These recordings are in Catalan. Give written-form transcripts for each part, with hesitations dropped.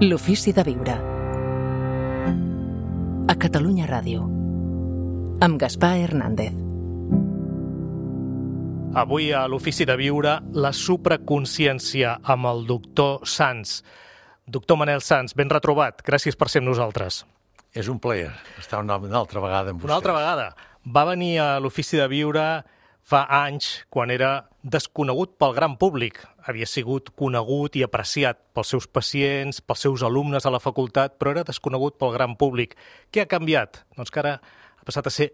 L'ofici de viure. A Catalunya Ràdio. Amb Gaspar Hernández. Avui a l'Ofici de Viure, la supraconsciència amb el doctor Sans. Doctor Manel Sans, ben retrobat. Gràcies per ser amb nosaltres. És un plaer estar una altra vegada amb vostès. Una altra vegada. Va venir a l'Ofici de Viure fa anys, quan era desconegut pel gran públic. Havia sigut conegut i apreciat pels seus pacients, pels seus alumnes a la facultat, però era desconegut pel gran públic. Què ha canviat? Doncs que ara ha passat a ser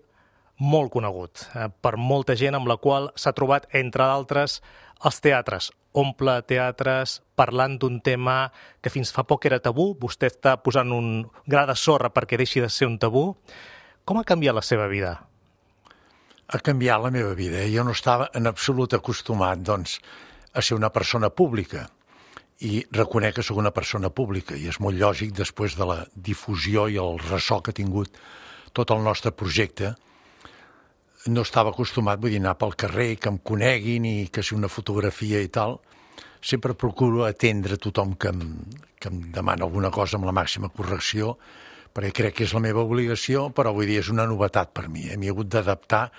molt conegut per molta gent amb la qual s'ha trobat, entre d'altres, els teatres. Omple teatres parlant d'un tema que fins fa poc era tabú. Vostè està posant un gra de sorra perquè deixi de ser un tabú. Com ha canviat la seva vida? Ha canviat la meva vida. Jo no estava en absolut acostumat, doncs, a ser una persona pública. I reconec que sóc una persona pública, i és molt lògic després de la difusió i el ressò que ha tingut tot el nostre projecte. No estava acostumat, vull dir, anar pel carrer, que em coneguin i que si una fotografia i tal. Sempre procuro atendre tothom que em demana alguna cosa amb la màxima correcció, perquè crec que és la meva obligació, però vull dir, és una novetat per mi. M'hi he hagut d'adaptar a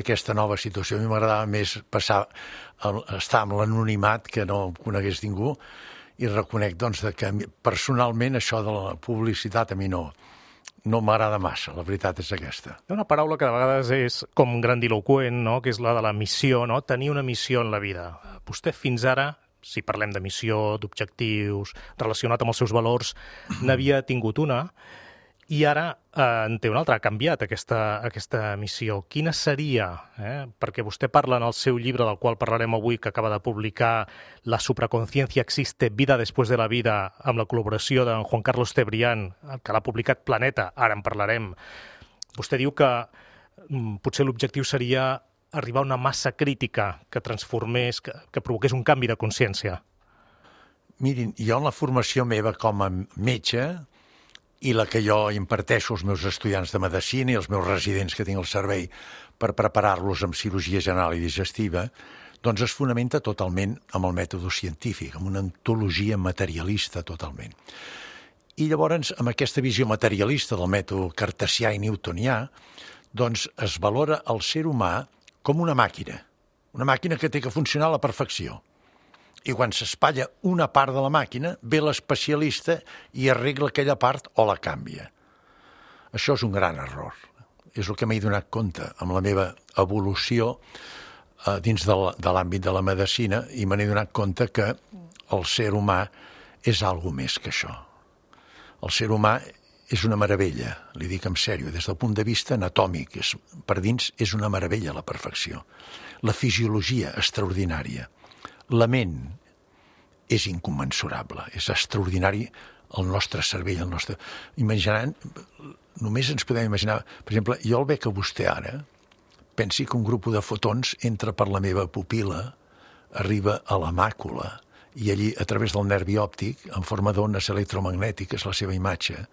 aquesta nova situació. A mi m'agradava més estar amb l'anonimat, que no conegués ningú, i reconec doncs, que personalment això de la publicitat a mi no m'agrada massa, la veritat és aquesta. Hi ha una paraula que de vegades és com grandiloqüent, no? Que és la de la missió, no? Tenir una missió en la vida. Vostè fins ara, si parlem de missió, d'objectius, relacionat amb els seus valors, n'havia tingut una, i ara en té una altra, ha canviat aquesta missió. Quina seria? Perquè vostè parla en el seu llibre, del qual parlarem avui, que acaba de publicar, La supraconsciencia existe, vida después de la vida, amb la col·laboració d'en Juan Carlos Cebrián, que l'ha publicat Planeta, ara en parlarem. Vostè diu que potser l'objectiu seria arribar a una massa crítica que transformés, que provoqués un canvi de consciència. Mirin, jo en la formació meva com a metge i la que jo imparteixo als meus estudiants de medicina i als meus residents que tinc al servei per preparar-los amb cirurgia general i digestiva, doncs es fonamenta totalment amb el mètode científic, amb una ontologia materialista totalment. I llavors, amb aquesta visió materialista del mètode cartesià i newtonià, doncs es valora el ser humà com una màquina que té que funcionar a la perfecció. I quan s'espatlla una part de la màquina, ve l'especialista i arregla aquella part o la canvia. Això és un gran error. És el que m'he donat compte amb la meva evolució dins de l'àmbit de la medicina, i me n'he donat compte que el ser humà és alguna més que això. El ser humà és una meravella, li dic en sèrio, des del punt de vista anatòmic. Per dins és una meravella la perfecció. La fisiologia extraordinària. La ment és incommensurable, és extraordinari el nostre cervell, el nostre... Imaginant, només ens podem imaginar... Per exemple, jo el veig a vostè ara, pensi que un grup de fotons entra per la meva pupil·la, arriba a la màcula, i allí, a través del nervi òptic, en forma d'ones electromagnètiques, la seva imatge,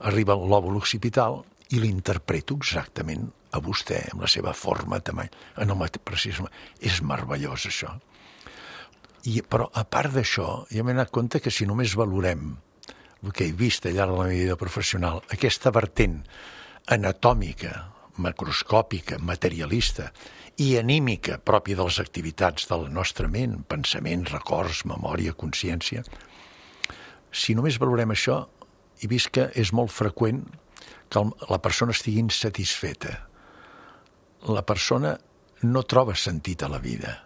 arriba al lòbul occipital i l'interpreto exactament a vostè, amb la seva forma, tamany, en el precisament. És meravellós, això. Però, a part d'això, jo m'he donat compte que si només valorem el que he vist al llarg de la meva vida professional, aquesta vertent anatòmica, macroscòpica, materialista i anímica pròpia de les activitats de la nostra ment, pensaments, records, memòria, consciència, si només valorem això, he vist que és molt freqüent que la persona estigui insatisfeta. La persona no troba sentit a la vida.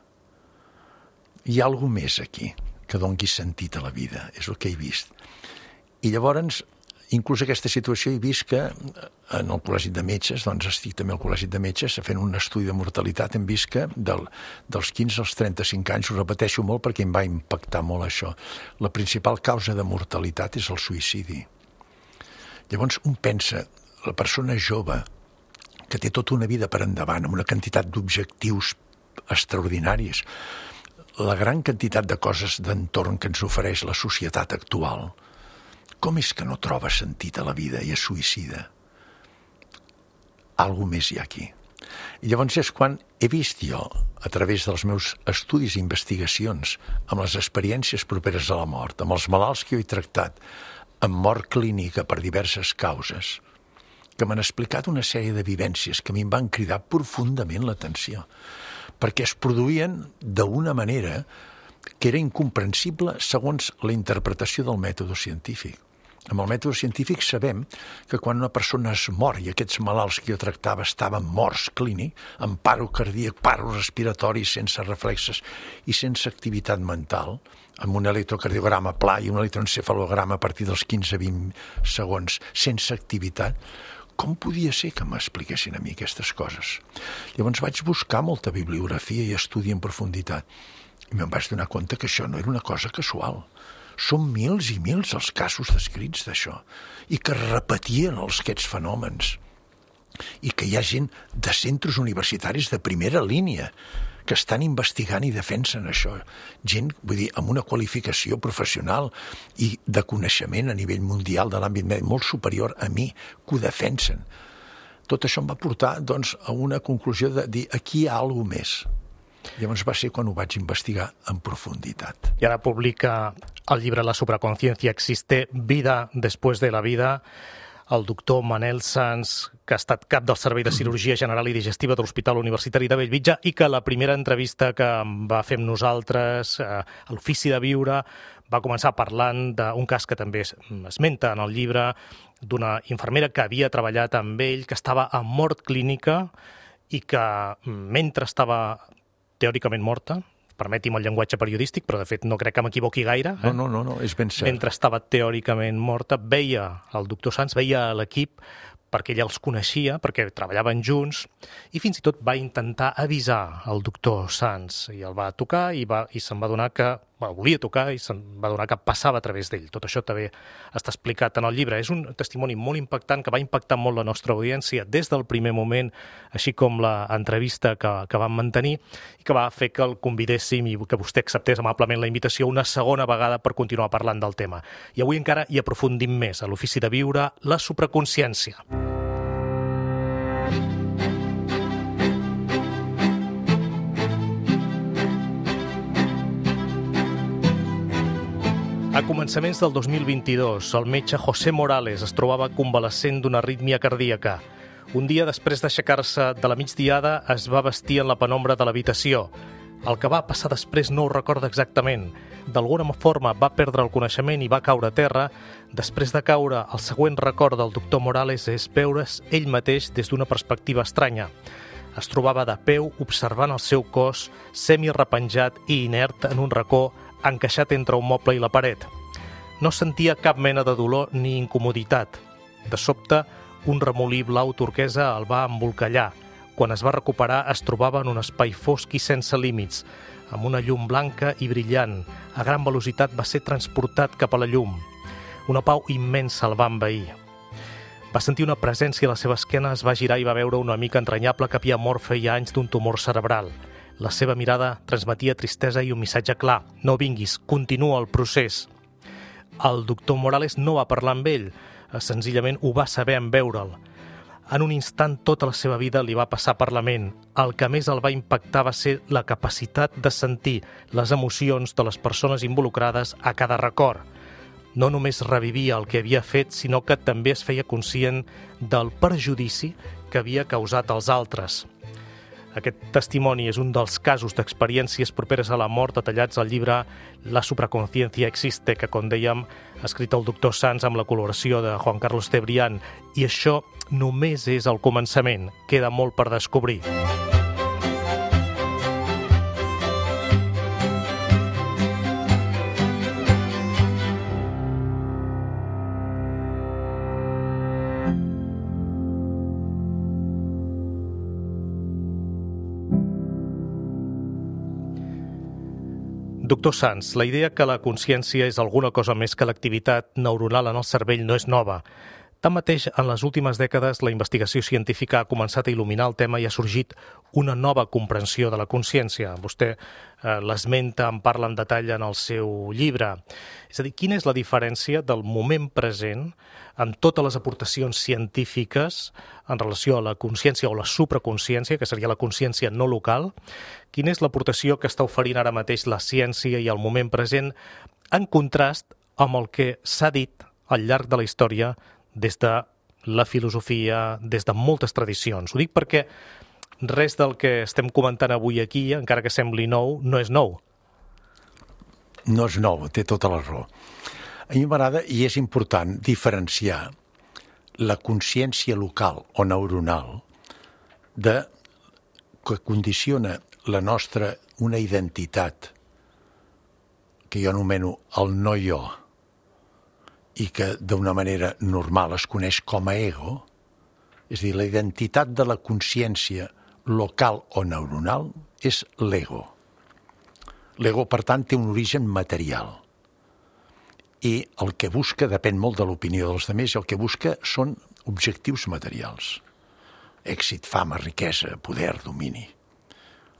Hi ha alguna més aquí que doni sentit a la vida, és el que he vist. I llavors, inclús aquesta situació he vist que en el Col·legi de Metges, doncs estic també al Col·legi de Metges, fent un estudi de mortalitat, hem vist que dels 15 als 35 anys, ho repeteixo molt perquè em va impactar molt això, la principal causa de mortalitat és el suïcidi. Llavors un pensa, la persona jove, que té tota una vida per endavant, amb una quantitat d'objectius extraordinaris, la gran quantitat de coses d'entorn que ens ofereix la societat actual, com és que no troba sentit a la vida i es suïcida? Algo més hi ha aquí. I llavors és quan he vist jo, a través dels meus estudis i investigacions, amb les experiències properes a la mort, amb els malalts que jo he tractat, amb mort clínica per diverses causes, que m'han explicat una sèrie de vivències que a mi em van cridar profundament l'atenció, perquè es produïen d'una manera que era incomprensible segons la interpretació del mètode científic. Amb el mètode científic sabem que quan una persona es mor, i aquests malalts que jo tractava estaven morts clínic, amb paro cardíac, paro respiratori, sense reflexes i sense activitat mental, amb un electrocardiograma pla i un electroencefalograma a partir dels 15-20 segons, sense activitat, com podia ser que m'expliquessin a mi aquestes coses? Llavors vaig buscar molta bibliografia i estudi en profunditat, i me'n vaig donar compte que això no era una cosa casual. Són mils i mils els casos descrits d'això, i que repetien aquests fenòmens, i que hi ha gent de centres universitaris de primera línia que estan investigant i defensen això. Gent, vull dir, amb una qualificació professional i de coneixement a nivell mundial de l'àmbit mèdic molt superior a mi, que ho defensen. Tot això em va portar, doncs, a una conclusió de dir aquí hi ha alguna cosa més. Llavors va ser quan ho vaig investigar en profunditat. I ara publica el llibre La supraconsciencia existe, vida después de la vida, el doctor Manel Sans, que ha estat cap del Servei de Cirurgia General i Digestiva de l'Hospital Universitari de Bellvitge i que la primera entrevista que va fer amb nosaltres a l'Ofici de Viure va començar parlant d'un cas que també esmenta en el llibre, d'una infermera que havia treballat amb ell, que estava en mort clínica i que mentre estava teòricament morta, permeti'm el llenguatge periodístic, però de fet no crec que m'equivoqui gaire. No, és ben cert. Mentre estava teòricament morta, veia el doctor Sans, veia l'equip, perquè ella els coneixia, perquè treballaven junts, i fins i tot va intentar avisar el doctor Sans, i el va tocar i se'n va adonar que, volia tocar i se'n va adonar que passava a través d'ell. Tot això també està explicat en el llibre. És un testimoni molt impactant, que va impactar molt la nostra audiència des del primer moment, així com l'entrevista que vam mantenir, i que va fer que el convidéssim i que vostè acceptés amablement la invitació una segona vegada per continuar parlant del tema. I avui encara hi aprofundim més a l'Ofici de Viure, la supraconsciència. A començaments del 2022, el metge José Morales es trobava convalescent d'una arrítmia cardíaca. Un dia, després d'aixecar-se de la migdiada, es va vestir en la penombra de l'habitació. El que va passar després no ho recorda exactament. D'alguna forma va perdre el coneixement i va caure a terra. Després de caure, el següent record del doctor Morales és veure's ell mateix des d'una perspectiva estranya. Es trobava de peu observant el seu cos semi-repenjat i inert en un racó encaixat entre un moble i la paret. No sentia cap mena de dolor ni incomoditat. De sobte, un remolí blau turquesa el va embolcallar. Quan es va recuperar, es trobava en un espai fosc i sense límits, amb una llum blanca i brillant. A gran velocitat va ser transportat cap a la llum. Una pau immensa el va envair. Va sentir una presència a la seva esquena, es va girar i va veure una amica entranyable que havia mort feia anys d'un tumor cerebral. La seva mirada transmetia tristesa i un missatge clar. No vinguis, continua el procés. El doctor Morales no va parlar amb ell, senzillament ho va saber en veure'l. En un instant tota la seva vida li va passar per la ment. El que més el va impactar va ser la capacitat de sentir les emocions de les persones involucrades a cada record. No només revivia el que havia fet, sinó que també es feia conscient del perjudici que havia causat als altres. Aquest testimoni és un dels casos d'experiències properes a la mort detallats al llibre La supraconsciencia existe, que, com dèiem, ha escrit el doctor Sans amb la col·laboració de Juan Carlos Cebrián. I això només és el començament. Queda molt per descobrir. Doctor Sans, la idea que la consciència és alguna cosa més que l'activitat neuronal en el cervell no és nova. Tanmateix, en les últimes dècades, la investigació científica ha començat a il·luminar el tema i ha sorgit una nova comprensió de la consciència. Vostè l'esmenta, en parla en detall en el seu llibre. És a dir, quina és la diferència del moment present amb totes les aportacions científiques en relació a la consciència o la supraconsciència, que seria la consciència no local? Quina és l'aportació que està oferint ara mateix la ciència i el moment present en contrast amb el que s'ha dit al llarg de la història des de la filosofia, des de moltes tradicions. Ho dic perquè res del que estem comentant avui aquí, encara que sembli nou, no és nou. No és nou, té tota la raó. A mi m'agrada, i és important, diferenciar la consciència local o neuronal que condiciona la nostra, una identitat que jo anomeno el no-jo i que d'una manera normal es coneix com a ego, és a dir, la identitat de la consciència local o neuronal és l'ego. L'ego, per tant, té un origen material. I el que busca depèn molt de l'opinió dels altres, el que busca són objectius materials. Èxit, fama, riquesa, poder, domini.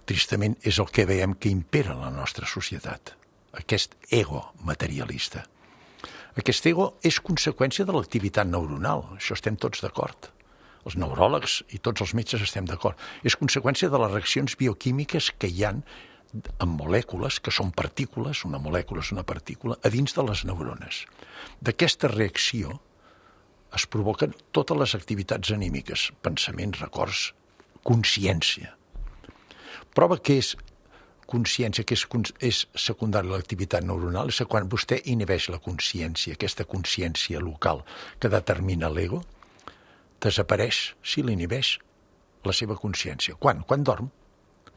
Tristament és el que veiem que impera en la nostra societat, aquest ego materialista. Aquest ego és conseqüència de l'activitat neuronal, això estem tots d'acord. Els neuròlegs i tots els metges estem d'acord. És conseqüència de les reaccions bioquímiques que hi ha en molècules, que són partícules, una molècula és una partícula, a dins de les neurones. D'aquesta reacció es provoquen totes les activitats anímiques, pensaments, records, consciència. Prova que és consciència, que és secundària a l'activitat neuronal, és que quan vostè inhibeix la consciència, aquesta consciència local que determina l'ego, desapareix, si l'inhibeix, la seva consciència. Quan? Quan dorm.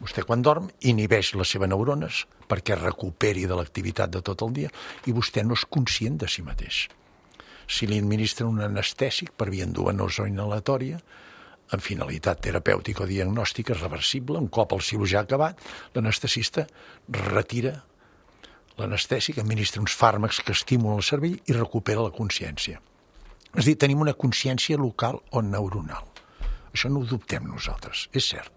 Vostè quan dorm inhibeix les seves neurones perquè recuperi de l'activitat de tot el dia i vostè no és conscient de si mateix. Si li administren un anestèsic per via endovenosa o inhalatòria, amb finalitat terapèutica o diagnòstica reversible, un cop el cirurgià ha acabat, l'anestesista retira l'anestèsic, administra uns fàrmacs que estimulen el cervell i recupera la consciència. És a dir, tenim una consciència local o neuronal. Això no ho dubtem nosaltres, és cert.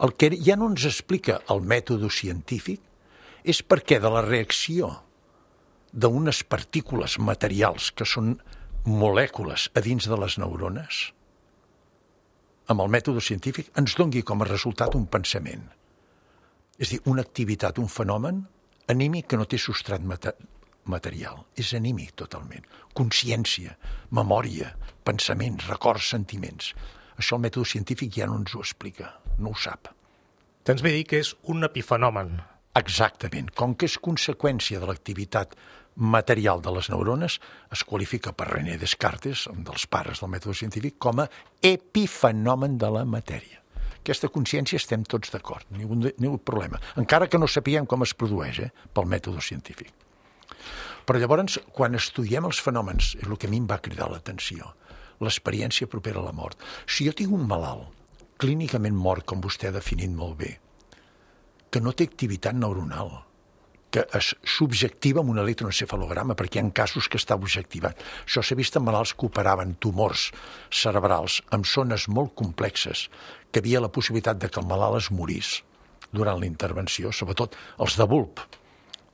El que ja no ens explica el mètode científic és perquè de la reacció d'unes partícules materials que són molècules a dins de les neurones, amb el mètode científic ens doni com a resultat un pensament. És a dir, una activitat, un fenomen anímic que no té substrat material. És anímic totalment. Consciència, memòria, pensaments, records, sentiments. Això el mètode científic ja no ens ho explica, no ho sap. Tens bé dir que és un epifenomen. Exactament. Com que és conseqüència de l'activitat material de les neurones, es qualifica per René Descartes, un dels pares del mètode científic, com a epifenomen de la matèria. Aquesta consciència estem tots d'acord, ningú problema, encara que no sapiguem com es produeix pel mètode científic. Però llavors, quan estudiem els fenòmens, és el que a mi em va cridar l'atenció, l'experiència propera a la mort. Si jo tinc un malalt, clínicament mort, com vostè ha definit molt bé, que no té activitat neuronal, que es subjectiva amb un electroencefalograma, perquè hi ha casos que està objectivat. Això s'ha vist en malalts que operaven tumors cerebrals amb zones molt complexes, que hi havia la possibilitat de que el malalt es morís durant la intervenció, sobretot els de bulb,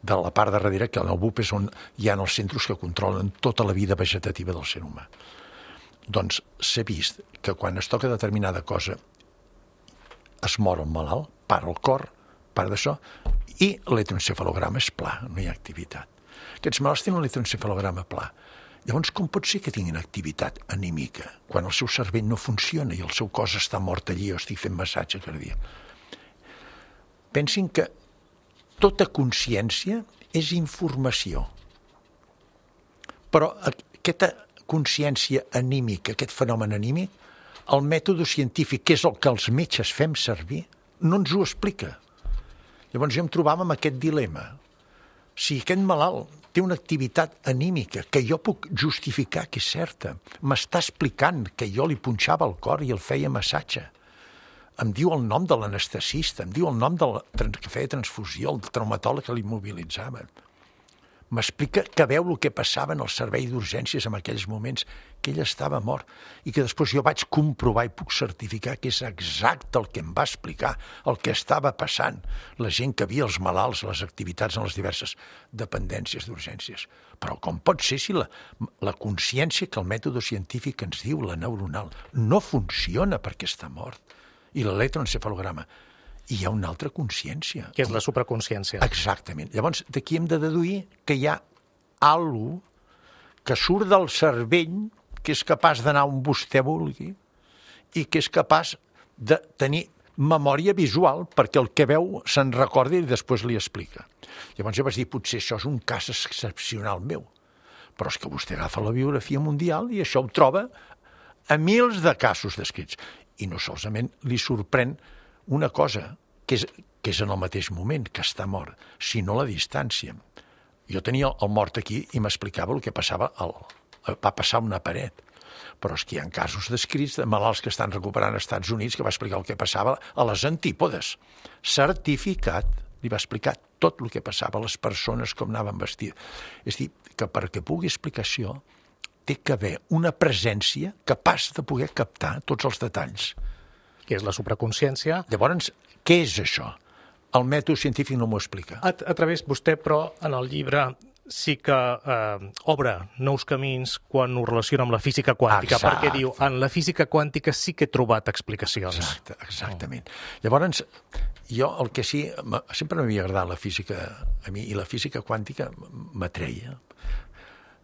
de la part de darrere, que el bulb és on hi ha els centres que controlen tota la vida vegetativa del ser humà. Doncs s'ha vist que quan es toca determinada cosa es mor el malalt, para el cor, part d'això, i l'electroencefalograma és pla, no hi ha activitat. Aquests malalts tenen l'electroencefalograma pla. Llavors, com pot ser que tinguin activitat anímica quan el seu cervell no funciona i el seu cos està mort allí o estic fent massatge cardíac? Pensin que tota consciència és informació. Però aquesta consciència anímica, aquest fenomen anímic, el mètode científic, que és el que els metges fem servir, no ens ho explica. Llavors jo em trobava amb aquest dilema. Si aquest malalt té una activitat anímica que jo puc justificar que és certa, m'està explicant que jo li punxava el cor i el feia massatge, em diu el nom de l'anestesista, em diu el nom del que feia transfusió, el traumatòleg que l'immobilitzava. M'explica que veu el que passava en el servei d'urgències en aquells moments, que ell estava mort i que després jo vaig comprovar i puc certificar que és exacte el que em va explicar, el que estava passant, la gent que havia els malalts, les activitats en les diverses dependències d'urgències. Però com pot ser si la consciència que el mètode científic ens diu, la neuronal, no funciona perquè està mort, i l'electroencefalograma, i hi ha una altra consciència. Que és la supraconsciència. Exactament. Llavors, d'aquí hem de deduir que hi ha alguna que surt del cervell, que és capaç d'anar on vostè vulgui i que és capaç de tenir memòria visual perquè el que veu se'n recorda i després li explica. Llavors jo vaig dir, potser això és un cas excepcional meu, però és que vostè agafa la biografia mundial i això ho troba a mils de casos descrits. I no solament li sorprèn una cosa, que és en el mateix moment que està mort, sinó la distància. Jo tenia el mort aquí i m'explicava el que passava, va passar una paret. Però és que hi ha casos descrits de malalts que estan recuperant als Estats Units que va explicar el que passava a les antípodes. Certificat, li va explicar tot el que passava a les persones, com anaven vestides. És a dir, que perquè pugui explicar això, té que haver una presència capaç de poder captar tots els detalls. Que és la supraconsciència. Llavors, què és això? El mètode científic no m'ho explica. A través vostè, però, en el llibre sí que obre nous camins quan ho relaciona amb la física quàntica, Exacte. perquè diu, en la física quàntica sí que he trobat explicacions. Exactament. Llavors, jo el que sí, sempre m'havia agradat la física a mi, i la física quàntica m'atreia.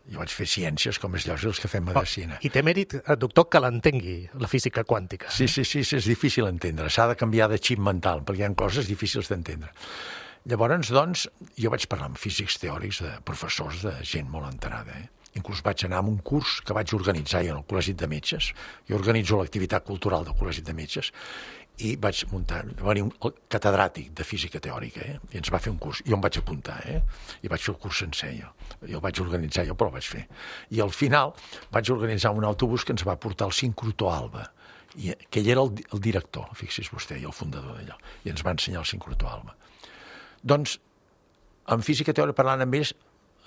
Jo vaig fer ciències, com és lògic, els que fem medicina. I té mèrit, doctor, que l'entengui, la física quàntica. Sí, és difícil d'entendre. S'ha de canviar de xip mental, perquè hi ha coses difícils d'entendre. Llavors, doncs, jo vaig parlar amb físics teòrics, de professors, de gent molt enterada. Inclús vaig anar a un curs que vaig organitzar jo al Col·legi de Metges. Jo organitzo l'activitat cultural del Col·legi de Metges i vaig muntar, va venir un catedràtic de física teòrica, i ens va fer un curs. Jo em vaig apuntar, i vaig fer el curs sencer, jo. Jo el vaig organitzar, jo, però el vaig fer. I al final vaig organitzar un autobús que ens va portar al sincrotró Alba, que ell era el director, fixi's vostè, i el fundador d'allò, i ens va ensenyar el sincrotró Alba. Doncs, en física teòrica, parlant amb ells,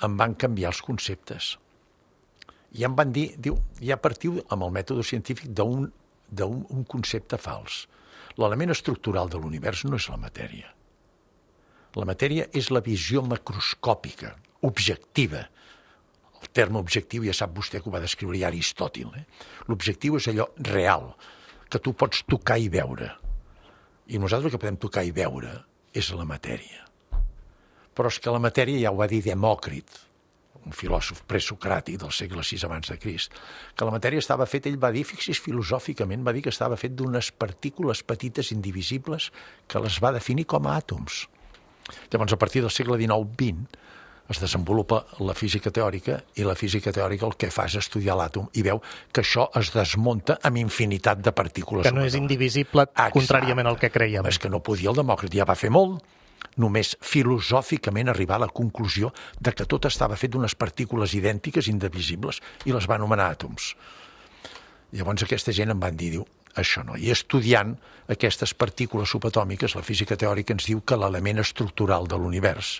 em van canviar els conceptes. I em van dir, ja partiu amb el mètode científic d'un concepte fals. L'element estructural de l'univers no és la matèria. La matèria és la visió macroscòpica, objectiva. El terme objectiu ja sap vostè que ho va descriure ja Aristòtil. L'objectiu és allò real, que tu pots tocar i veure. I nosaltres el que podem tocar i veure és la matèria. Però és que la matèria ja ho va dir Demòcrit, un filòsof presocràtic del segle VI abans de Crist, que la matèria estava feta, ell va dir, fixis filosòficament, va dir que estava fet d'unes partícules petites indivisibles que les va definir com a àtoms. Llavors, a partir del segle XIX-XX, es desenvolupa la física teòrica i la física teòrica el que fa és estudiar l'àtom i veu que això es desmunta amb infinitat de partícules. Que no és indivisible, contràriament al que creiem. És que no podia, el Demòcrit ja va fer molt, només filosòficament arribar a la conclusió de que tot estava fet d'unes partícules idèntiques, indivisibles, i les va anomenar àtoms. Llavors aquesta gent em van dir, diu, això no. I estudiant aquestes partícules subatòmiques, la física teòrica ens diu que l'element estructural de l'univers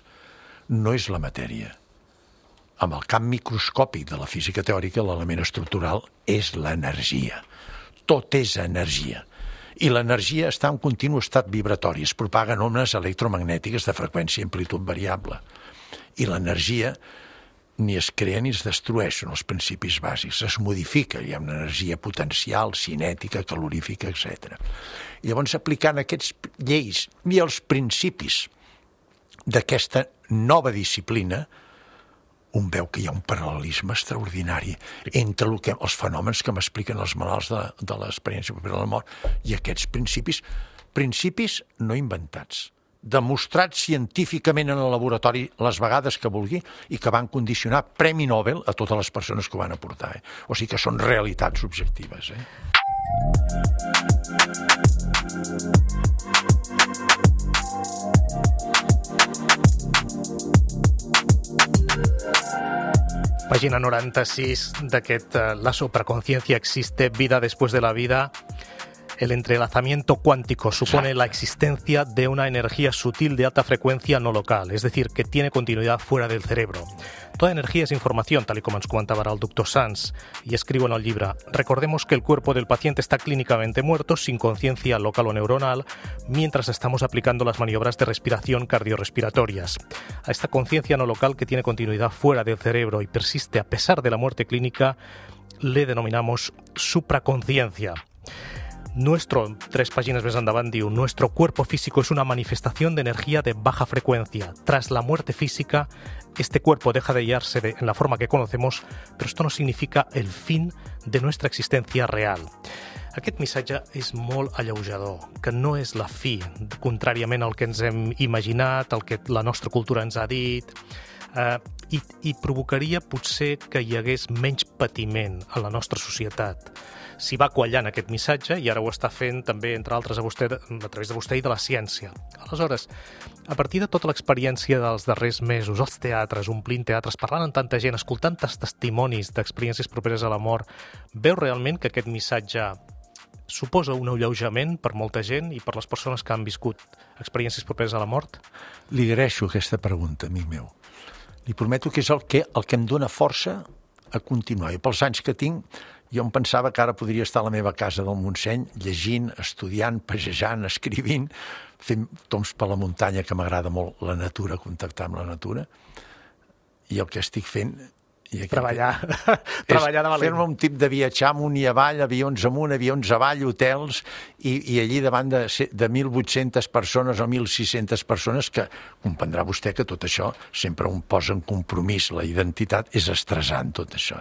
no és la matèria. Amb el camp microscòpic de la física teòrica, l'element estructural és l'energia. Tot és energia. I l'energia està en continu estat vibratori, es propaguen ones electromagnètiques de freqüència i amplitud variable. I l'energia ni es crea ni es destrueix, són els principis bàsics, es modifica, hi ha una energia potencial, cinètica, calorífica, etc. I llavors, aplicant aquests lleis i els principis d'aquesta nova disciplina, un veu que hi ha un paral·lelisme extraordinari entre els fenòmens que m'expliquen els malalts de l'experiència de la mort i aquests principis no inventats, demostrats científicament en el laboratori les vegades que vulgui i que van condicionar Premi Nobel a totes les persones que ho van aportar. O sigui que són realitats objectives. Pàgina 96 d'aquest La supraconciencia existe, vida después de la vida. El entrelazamiento cuántico supone la existencia de una energía sutil de alta frecuencia no local, es decir, que tiene continuidad fuera del cerebro. Toda energía es información, tal y como ens comentava ara el doctor Sanz, y escribo en el llibre: recordemos que el cuerpo del paciente está clínicamente muerto, sin conciencia local o neuronal, mientras estamos aplicando las maniobras de respiración cardiorrespiratorias. A esta conciencia no local que tiene continuidad fuera del cerebro y persiste a pesar de la muerte clínica, le denominamos supraconciencia. Tres páginas més endavant diu, nuestro cuerpo físico es una manifestación de energía de baja frecuencia. Tras la muerte física, este cuerpo deja de hallarse en la forma que conocemos, pero esto no significa el fin de nuestra existencia real. Aquest missatge és molt alleujador, que no és la fi, contràriament al que ens hem imaginat, al que la nostra cultura ens ha dit, i provocaria potser que hi hagués menys patiment a la nostra societat. S'hi va quallant aquest missatge i ara ho està fent també, entre altres, a través de vostè i de la ciència. Aleshores, a partir de tota l'experiència dels darrers mesos, els teatres, omplint teatres, parlant amb tanta gent, escoltant tants testimonis d'experiències properes a la mort, veu realment que aquest missatge suposa un alleujament per molta gent i per les persones que han viscut experiències properes a la mort? Li agraeixo aquesta pregunta, amic meu. Li prometo que és el que em dóna força a continuar. I pels anys que tinc, jo em pensava que ara podria estar a la meva casa del Montseny llegint, estudiant, passejant, escrivint, fent tombs per la muntanya, que m'agrada molt la natura, contactar amb la natura, i el que estic fent... Treballar de valent. Fer-me un tip de viatjar amunt i avall, avions amunt, avions avall, hotels, i allí davant de 1.800 persones o 1.600 persones, que comprendrà vostè que tot això sempre un posa en compromís, la identitat és estressant, tot això.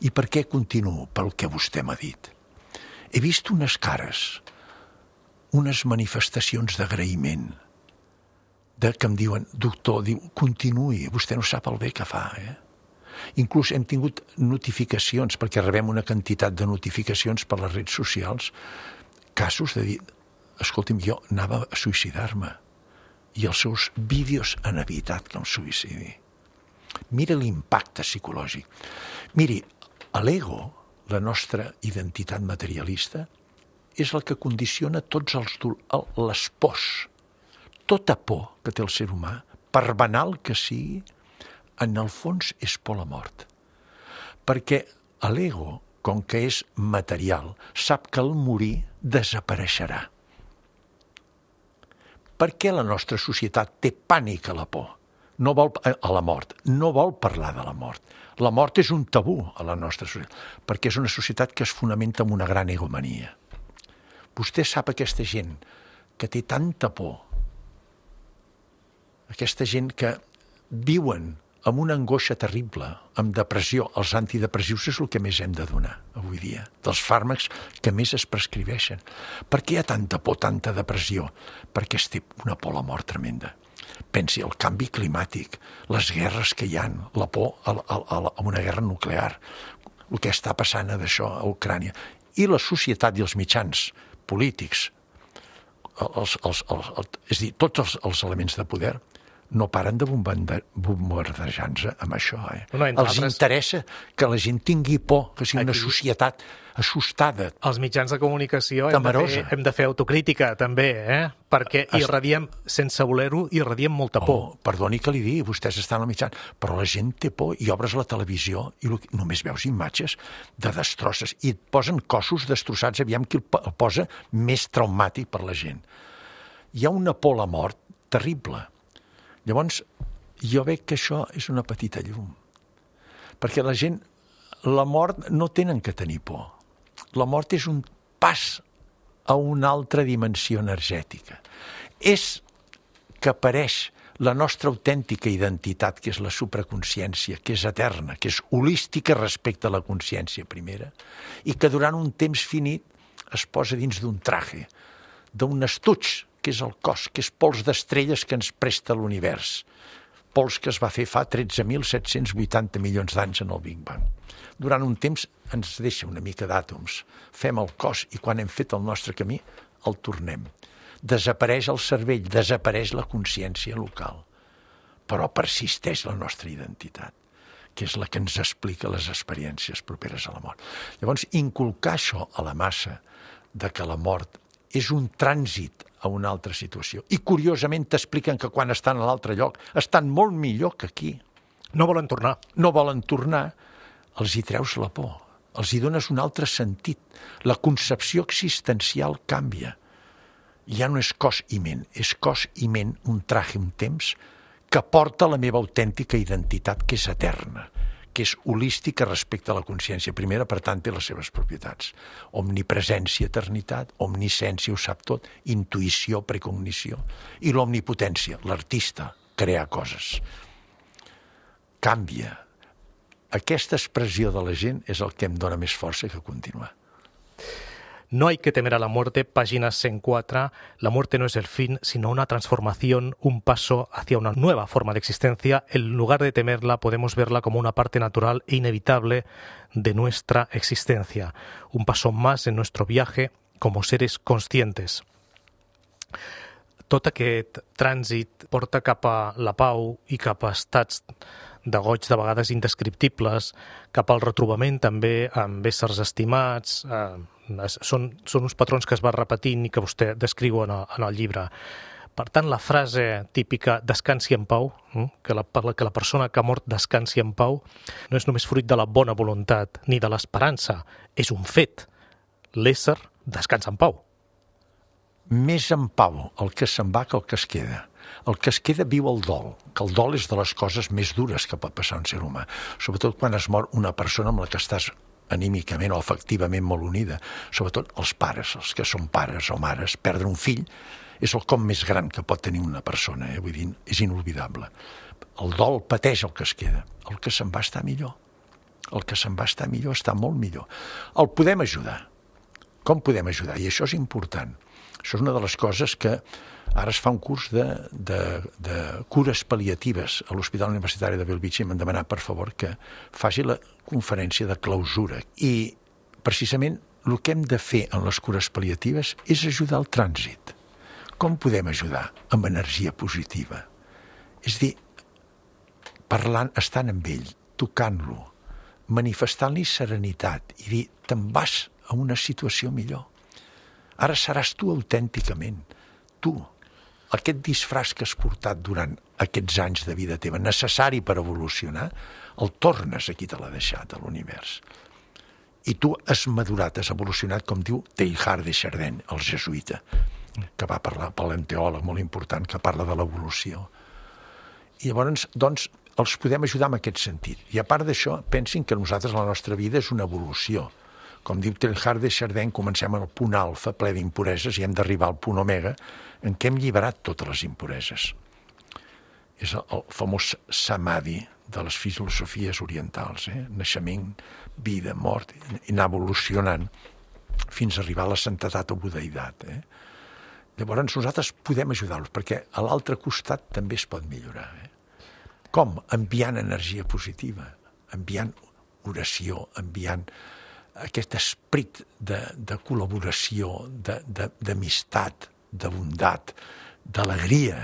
I per què continuo? Pel que vostè m'ha dit. He vist unes cares, unes manifestacions d'agraïment, que em diuen, doctor, continuï, vostè no sap el bé que fa, Inclús hem tingut notificacions, perquè rebem una quantitat de notificacions per les redes socials, casos de dir, escolti'm, jo anava a suïcidar-me i els seus vídeos han evitat que em suïcidi. Mira l'impacte psicològic. Miri, l'ego, la nostra identitat materialista, és el que condiciona tots les pors. Tota por que té el ser humà, per banal que sigui, en el fons és por a la mort. Perquè l'ego, com que és material, sap que al morir desapareixerà. Per què la nostra societat té pànic a la por? A la mort. No vol parlar de la mort. La mort és un tabú a la nostra societat, perquè és una societat que es fonamenta en una gran egomania. Vostè sap aquesta gent que té tanta por, aquesta gent que viuen amb una angoixa terrible, amb depressió. Els antidepressius és el que més hem de donar avui dia, dels fàrmacs que més es prescribeixen. Per què hi ha tanta por, tanta depressió? Perquè es té una por a la mort tremenda. Pensi, el canvi climàtic, les guerres que hi ha, la por a una guerra nuclear, el que està passant d'això a Ucrània, i la societat i els mitjans polítics, és a dir, tots els elements de poder, no paren de bombardejar-nos amb això. Els interessa que la gent tingui por, que sigui una societat assustada. Els mitjans de comunicació hem de fer autocrítica, també, perquè irradiem, sense voler-ho, irradiem molta por. Perdoni que li digui, vostès estan al mitjan, però la gent té por i obres la televisió i només veus imatges de destrosses i et posen cossos destrossats, aviam qui el posa més traumàtic per la gent. Hi ha una por a la mort terrible. Llavors, jo veig que això és una petita llum. Perquè la gent, la mort no tenen que tenir por. La mort és un pas a una altra dimensió energètica. És que apareix la nostra autèntica identitat, que és la supraconsciència, que és eterna, que és holística respecte a la consciència primera, i que durant un temps finit es posa dins d'un traje, d'un estuig, que és el cos, que és pols d'estrelles que ens presta l'univers. Pols que es va fer fa 13.780 milions d'anys en el Big Bang. Durant un temps ens deixa una mica d'àtoms. Fem el cos i quan hem fet el nostre camí el tornem. Desapareix el cervell, desapareix la consciència local. Però persisteix la nostra identitat, que és la que ens explica les experiències properes a la mort. Llavors, inculcar això a la massa de que la mort és un trànsit a una altra situació. I curiosament t'expliquen que quan estan a l'altre lloc estan molt millor que aquí. No volen tornar. No volen tornar. Els hi treus la por. Els hi dones un altre sentit. La concepció existencial canvia. Ja no és cos i ment. És cos i ment, un traje, un temps, que porta la meva autèntica identitat, que és eterna, perquè és holística respecte a la consciència primera, per tant té les seves propietats. Omnipresència, eternitat, omnisciència, ho sap tot, intuïció, precognició, i l'omnipotència, l'artista, crear coses. Canvia. Aquesta expressió de la gent és el que em dona més força que continuar. No hay que temer a la muerte, página 104. La muerte no es el fin, sino una transformación, un paso hacia una nueva forma de existencia. En lugar de temerla, podemos verla como una parte natural e inevitable de nuestra existencia. Un paso más en nuestro viaje como seres conscientes. Tot aquest trànsit porta cap a la pau i cap a estats de goig de vegades indescriptibles, cap al retrobament també amb éssers estimats. Són uns patrons que es va repetint i que vostè descriu en el llibre. Per tant, la frase típica «descansi en pau», que la persona que ha mort descansi en pau, no és només fruit de la bona voluntat ni de l'esperança, és un fet. L'ésser descansa en pau. Més en pau el que se'n va que el que es queda. El que es queda viu el dol, que el dol és de les coses més dures que pot passar a un ser humà, sobretot quan es mor una persona amb la que estàs anímicament o afectivament molt unida, sobretot els pares, els que són pares o mares. Perdre un fill és el cop més gran que pot tenir una persona, vull dir, és inolvidable. El dol pateix el que es queda, el que se'n va està millor. El que se'n va està millor està molt millor. El podem ajudar. Com podem ajudar? I això és important. Això és una de les coses que ara es fa un curs de cures pal·liatives a l'Hospital Universitari de Bellvitge i m'han demanat, per favor, que faci la conferència de clausura. I, precisament, el que hem de fer en les cures pal·liatives és ajudar al trànsit. Com podem ajudar? Amb energia positiva. És a dir, parlant, estant amb ell, tocant-lo, manifestant-li serenitat i dir, te'n vas a una situació millor. Ara seràs tu autènticament, tu. Aquest disfraç que has portat durant aquests anys de vida teva, necessari per evolucionar, el tornes a qui te l'ha deixat, a l'univers. I tu has madurat, has evolucionat, com diu Teilhard de Chardin, el jesuïta, que va parlar, paleontòleg molt important, que parla de l'evolució. I llavors, doncs, els podem ajudar en aquest sentit. I a part d'això, pensin que nosaltres la nostra vida és una evolució. Com diu Teilhard de Chardin, comencem al punt alfa, ple d'impureses, i hem d'arribar al punt omega, en què hem alliberat totes les impureses. És el famós samadhi de les filosofies orientals, naixement, vida, mort, i anar evolucionant fins a arribar a la santedat o budeïtat. Llavors nosaltres podem ajudar-los, perquè a l'altre costat també es pot millorar. Com? Enviant energia positiva, enviant oració, enviant aquest esperit de col·laboració, d'amistat, de bondat, d'alegria,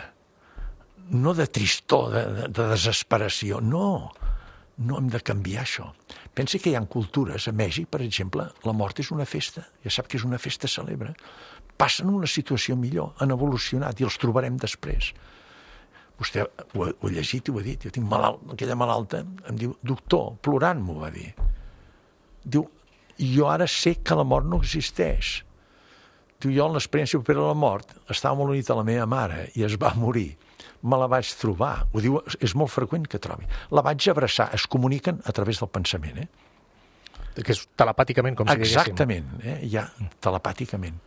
no de tristor, de desesperació. No hem de canviar això. Pensi que hi ha cultures, a Mèxic, per exemple, la mort és una festa, ja sap que és una festa cèlebre. Passen una situació millor, han evolucionat i els trobarem després. Vostè ho ha llegit i ho ha dit, jo tinc aquella malalta, em diu, doctor, plorant m'ho va dir. Diu, jo ara sé que la mort no existeix. Diu, jo en l'experiència propera a la mort estava molt unit a la meva mare i es va morir. Me la vaig trobar. Ho diu, és molt freqüent que trobi. La vaig abraçar. Es comuniquen a través del pensament. Que és telepàticament, com si diguéssim. Exactament, ja, telepàticament.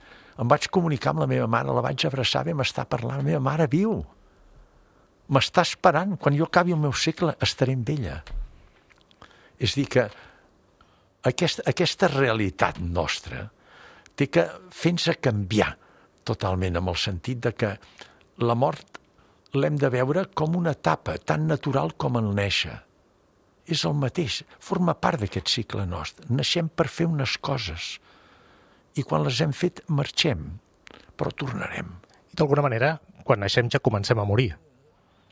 Em vaig comunicar amb la meva mare, la vaig abraçar, vam estar parlant. La meva mare viu. M'està esperant. Quan jo acabi el meu segle estaré amb ella. És a dir que aquesta realitat nostra té que fer-nos canviar totalment, amb el sentit de que la mort l'hem de veure com una etapa tan natural com el néixer. És el mateix, forma part d'aquest cicle nostre. Naixem per fer unes coses i quan les hem fet marxem, però tornarem. I d'alguna manera, quan naixem ja comencem a morir.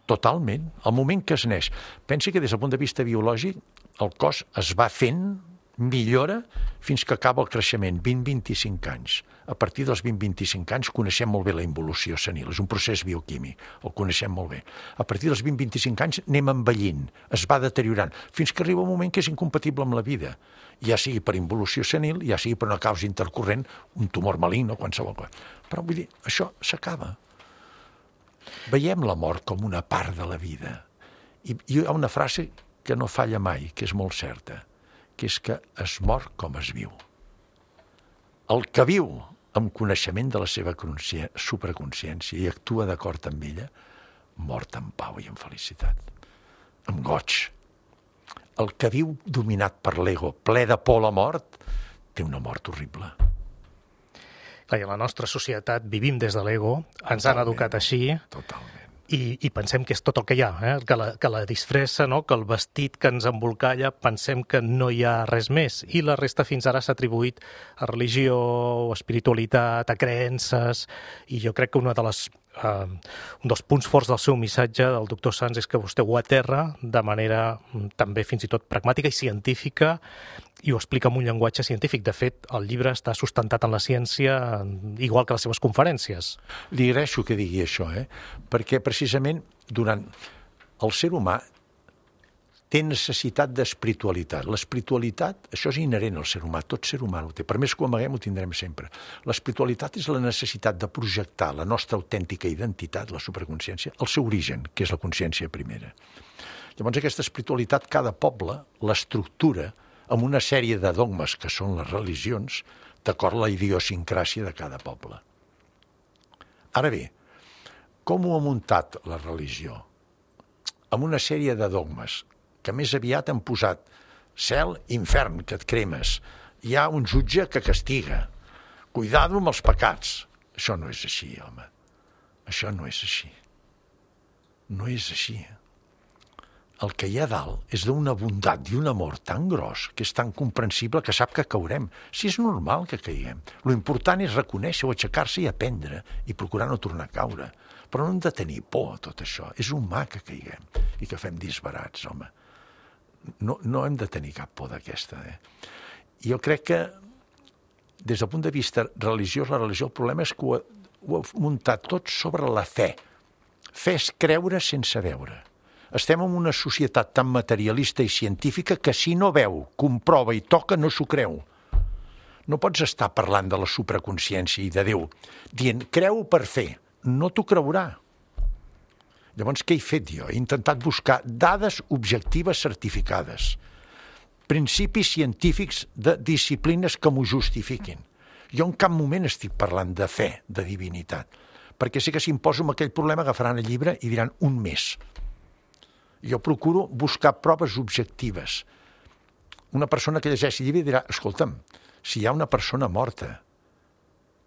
Totalment. Al moment que es neix. Pensi que des del punt de vista biològic el cos es va fent, millora fins que acaba el creixement, 20-25 anys. A partir dels 20-25 anys coneixem molt bé la involució senil, és un procés bioquímic, el coneixem molt bé. A partir dels 20-25 anys anem envellint, es va deteriorant, fins que arriba un moment que és incompatible amb la vida, ja sigui per involució senil, ja sigui per una causa intercorrent, un tumor maligne o qualsevol cosa. Però vull dir, això s'acaba. Veiem la mort com una part de la vida. I hi ha una frase que no falla mai, que és molt certa, que és que es mor com es viu. El que viu amb coneixement de la seva supraconsciència i actua d'acord amb ella, mort en pau i en felicitat, amb goig. El que viu dominat per l'ego, ple de por a la mort, té una mort horrible. Clar, i a la nostra societat vivim des de l'ego, ens han educat així. Totalment. I pensem que és tot el que hi ha, que la disfressa, no? Que el vestit que ens embolcalla, pensem que no hi ha res més. I la resta fins ara s'ha atribuït a religió, a espiritualitat, a creences, i jo crec que un dels punts forts del seu missatge del doctor Sans és que vostè ho aterra de manera també fins i tot pragmàtica i científica, i ho explica amb un llenguatge científic. De fet, el llibre està sustentat en la ciència, igual que les seves conferències. Li agraeixo que digui això, perquè precisament el ser humà té necessitat d'espiritualitat. L'espiritualitat, això és inherent al ser humà, tot ser humà ho té. Per més que ho amaguem, ho tindrem sempre. L'espiritualitat és la necessitat de projectar la nostra autèntica identitat, la supraconsciència, al seu origen, que és la consciència primera. Llavors, aquesta espiritualitat, cada poble l'estructura amb una sèrie de dogmes, que són les religions, d'acord a la idiosincràsia de cada poble. Ara bé, com ho ha muntat la religió? Amb una sèrie de dogmes, que més aviat han posat cel, infern, que et cremes. Hi ha un jutge que castiga. Cuidado amb els pecats. Això no és així, home. Això no és així. No és així. El que hi ha dalt és d'una bondat i un amor tan gros, que és tan comprensible, que sap que caurem. Si és normal que caiguem. Lo important és reconèixer-ho, aixecar-se i aprendre, i procurar no tornar a caure. Però no hem de tenir por a tot això. És humà que caiguem i que fem disbarats, home. No hem de tenir cap por d'aquesta. Jo crec que, des del punt de vista religiós, la religió, el problema és que ho ha muntat tot sobre la fe. Fe és creure sense veure. Estem en una societat tan materialista i científica que si no veu, comprova i toca, no s'ho creu. No pots estar parlant de la supraconsciència i de Déu, dient, creu per fer, no t'ho creurà. Llavors, què he fet jo? He intentat buscar dades objectives certificades, principis científics de disciplines que m'ho justifiquin. Jo en cap moment estic parlant de fe, de divinitat, perquè sé que si em poso amb aquell problema agafaran el llibre i diran un mes. Jo procuro buscar proves objectives. Una persona que llegeixi el llibre dirà, escolta'm, si hi ha una persona morta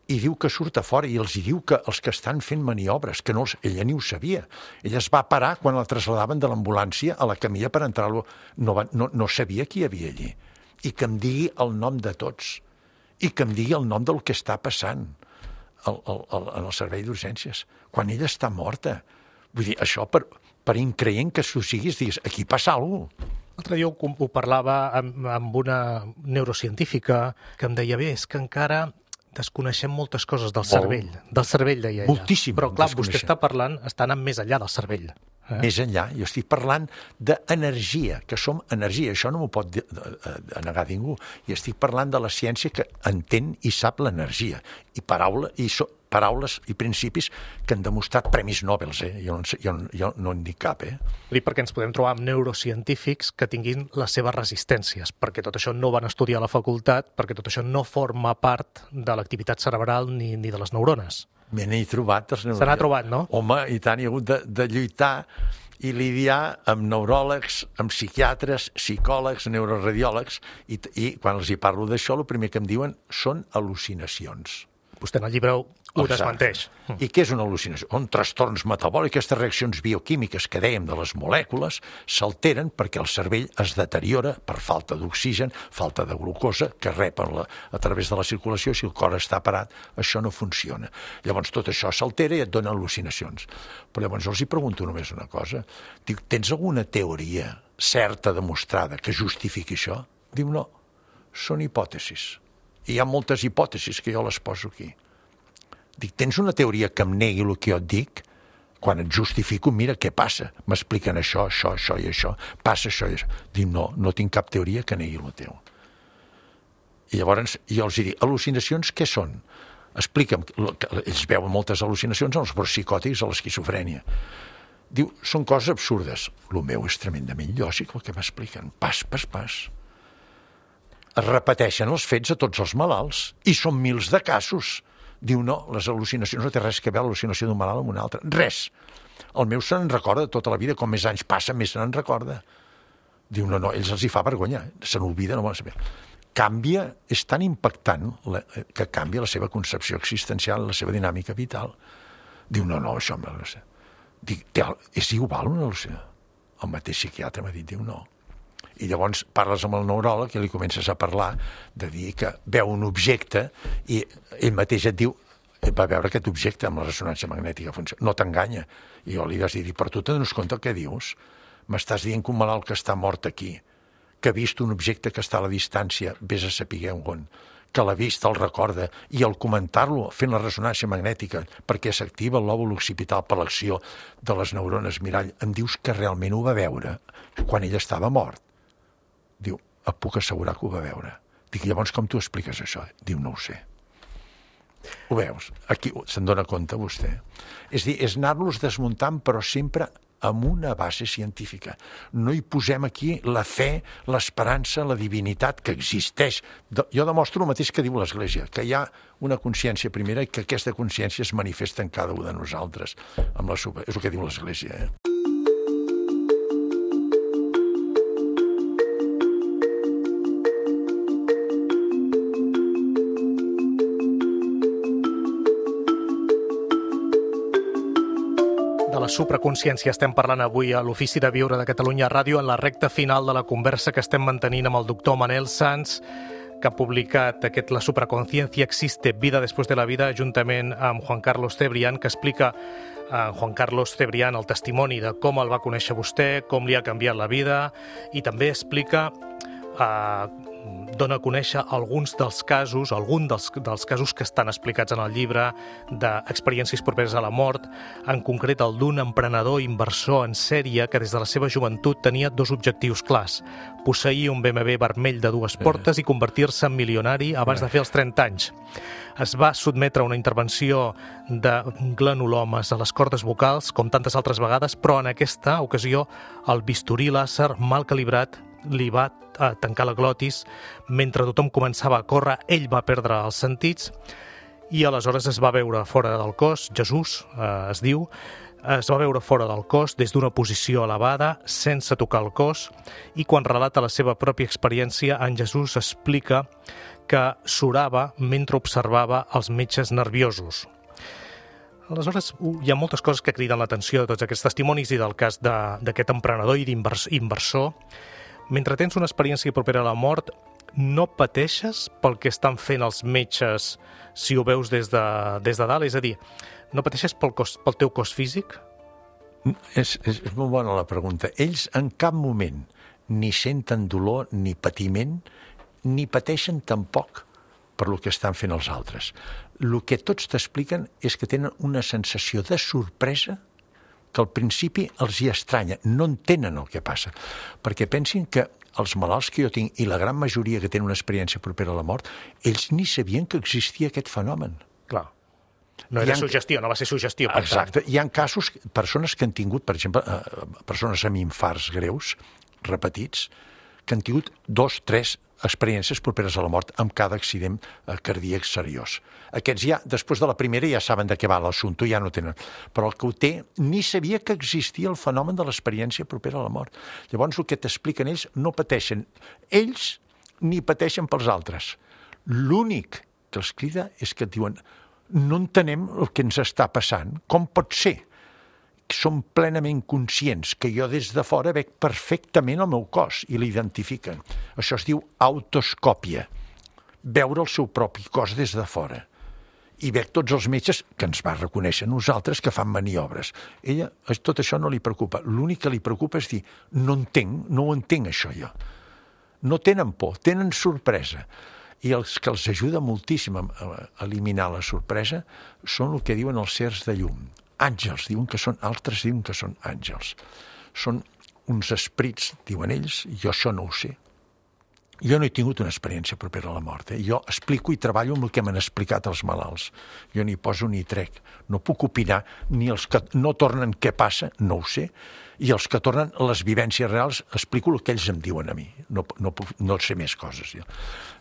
i diu que surt a fora i els diu que els que estan fent maniobres, que ella ni ho sabia. Ella es va parar quan la trasladaven de l'ambulància a la camilla per entrar-lo. No sabia qui hi havia allí. I que em digui el nom de tots. I que em digui el nom del que està passant en el servei d'urgències. Quan ella està morta. Vull dir, això per increient que s'ho siguis, digues, aquí passa alguna cosa. L'altre dia ho parlava amb una neurocientífica que em deia, bé, és que encara desconeixem moltes coses del cervell. Del cervell, deia ella. Moltíssim. Però clar, vostè està anant més enllà del cervell. Més enllà, jo estic parlant d'energia, que som energia, això no m'ho pot negar ningú. I estic parlant de la ciència que entén i sap l'energia. I paraules i principis que han demostrat premis Nobel, jo no en dic cap. Dic perquè ens podem trobar amb neurocientífics que tinguin les seves resistències, perquè tot això no van estudiar a la facultat, perquè tot això no forma part de l'activitat cerebral ni de les neurones. Me n'he trobat. Se n'ha trobat, no? Home, i tant, he hagut de lluitar i lidiar amb neuròlegs, amb psiquiatres, psicòlegs, neuroradiòlegs, i quan els hi parlo d'això, el primer que em diuen són al·lucinacions. Vostè en el llibre ho desmenteix. I què és una al·lucinació? Són trastorns metabòlics, aquestes reaccions bioquímiques que dèiem de les molècules s'alteren perquè el cervell es deteriora per falta d'oxigen, falta de glucosa, que rep a través de la circulació. Si el cor està parat, això no funciona. Llavors tot això s'altera i et dona al·lucinacions. Però llavors els hi pregunto només una cosa. Dic, tens alguna teoria certa, demostrada, que justifiqui això? Diu, no, són hipòtesis. I hi ha moltes hipòtesis que jo les poso aquí. Dic, tens una teoria que em negui el que jo et dic? Quan et justifico, mira què passa. M'expliquen això i això. Passa això i això. Dic, no tinc cap teoria que negui el teu. I llavors jo els dic, al·lucinacions què són? Explica'm. Ells veuen moltes al·lucinacions als psicòtics, a l'esquizofrènia. Diu, són coses absurdes. El meu és tremendament lògic, el que m'expliquen, pas per pas. Es repeteixen els fets a tots els malalts, i són mils de casos. Diu, no, les al·lucinacions no té res que veure l'al·lucinació d'un malalt amb un altre. Res. El meu se n'en recorda tota la vida, com més anys passa, més se n'en recorda. Diu, no, ells els hi fa vergonya, se n'olvida, no volen saber. Canvia, és tan impactant que canvia la seva concepció existencial, la seva dinàmica vital. Diu, no, això no sé. Dic, és igual una al·lucinació? El mateix psiquiatre m'ha dit, diu, no. I llavors parles amb el neuròleg i li comences a parlar de dir que veu un objecte i ell mateix et diu, va veure aquest objecte amb la ressonància magnètica, no t'enganya. I jo li vas dir, però tu te dones compte el que dius? M'estàs dient que un malalt que està mort aquí, que ha vist un objecte que està a la distància, vés a saber on, que l'ha vist, el recorda, i al comentar-lo, fent la ressonància magnètica, perquè s'activa el lòbul occipital per l'acció de les neurones mirall, em dius que realment ho va veure quan ell estava mort. Diu, et puc assegurar que ho va veure. Dic, llavors com tu expliques això? Diu, no ho sé. Ho veus? Aquí se'n dona compte vostè. És dir, és anar-los desmuntant, però sempre amb una base científica. No hi posem aquí la fe, l'esperança, la divinitat que existeix. Jo demostro el mateix que diu l'Església, que hi ha una consciència primera i que aquesta consciència es manifesta en cada un de nosaltres. És el que diu l'Església, De la supraconsciència estem parlant avui a l'Ofici de Viure de Catalunya Ràdio en la recta final de la conversa que estem mantenint amb el doctor Manel Sans, que ha publicat aquest La supraconsciencia existe, vida después de la vida, juntament amb Juan Carlos Cebrián, que explica Juan Carlos Cebrián el testimoni de com el va conèixer vostè, com li ha canviat la vida, i també explica dona a conèixer algun dels casos que estan explicats en el llibre d'experiències properes a la mort, en concret el d'un emprenedor inversor en sèrie que des de la seva joventut tenia dos objectius clars: posseir un BMW vermell de 2 portes i convertir-se en milionari abans de fer els 30 anys. Es va sotmetre a una intervenció de granulomes a les cordes vocals, com tantes altres vegades, però en aquesta ocasió el bisturí làser mal calibrat li va tancar la glotis. Mentre tothom començava a córrer, ell va perdre els sentits i aleshores es va veure fora del cos. Jesús es diu, es va veure fora del cos des d'una posició elevada, sense tocar el cos, i quan relata la seva pròpia experiència, en Jesús explica que surava mentre observava els metges nerviosos. Aleshores, hi ha moltes coses que criden l'atenció de tots aquests testimonis i del cas d'aquest emprenedor i d'inversor. Mentre tens una experiència propera a la mort, no pateixes pel que estan fent els metges si ho veus des de dalt? És a dir, no pateixes pel teu cos físic? És molt bona la pregunta. Ells en cap moment ni senten dolor ni patiment, ni pateixen tampoc per el que estan fent els altres. El que tots t'expliquen és que tenen una sensació de sorpresa que al principi els hi estranya, no entenen el que passa, perquè pensin que els malalts que jo tinc, i la gran majoria que tenen una experiència propera a la mort, ells ni sabien que existia aquest fenomen. Clar. No era suggestió, no va ser suggestió. Exacte. Hi ha casos, persones que han tingut, per exemple, persones amb infarts greus, repetits, que han tingut 2, 3 experiències properes a la mort amb cada accident cardíac seriós. Aquests ja, després de la primera, ja saben de què va l'assumpte, ja no tenen. Però el que ho té ni sabia que existia el fenomen de l'experiència propera a la mort. Llavors, el que t'expliquen ells, no pateixen ells ni pateixen pels altres. L'únic que els crida és que et diuen no entenem el que ens està passant. Com pot ser? Som plenament conscients que jo des de fora veig perfectament el meu cos i l'identifiquen. Això es diu autoscòpia, veure el seu propi cos des de fora. I veig tots els metges que ens va reconèixer nosaltres que fan maniobres. Ella, tot això no li preocupa. L'únic que li preocupa és dir, no ho entenc això jo. No tenen por, tenen sorpresa. I els que els ajuda moltíssim a eliminar la sorpresa són el que diuen els sers de llum. Àngels, diuen que són, altres diuen que són àngels. Són uns esprits, diuen ells, jo això no ho sé. Jo no he tingut una experiència propera a la mort. Jo explico i treballo amb el que m'han explicat els malalts. Jo ni poso ni trec. No puc opinar, ni els que no tornen què passa, no ho sé, i els que tornen les vivències reals explico el que ells em diuen a mi. No sé més coses. Jo.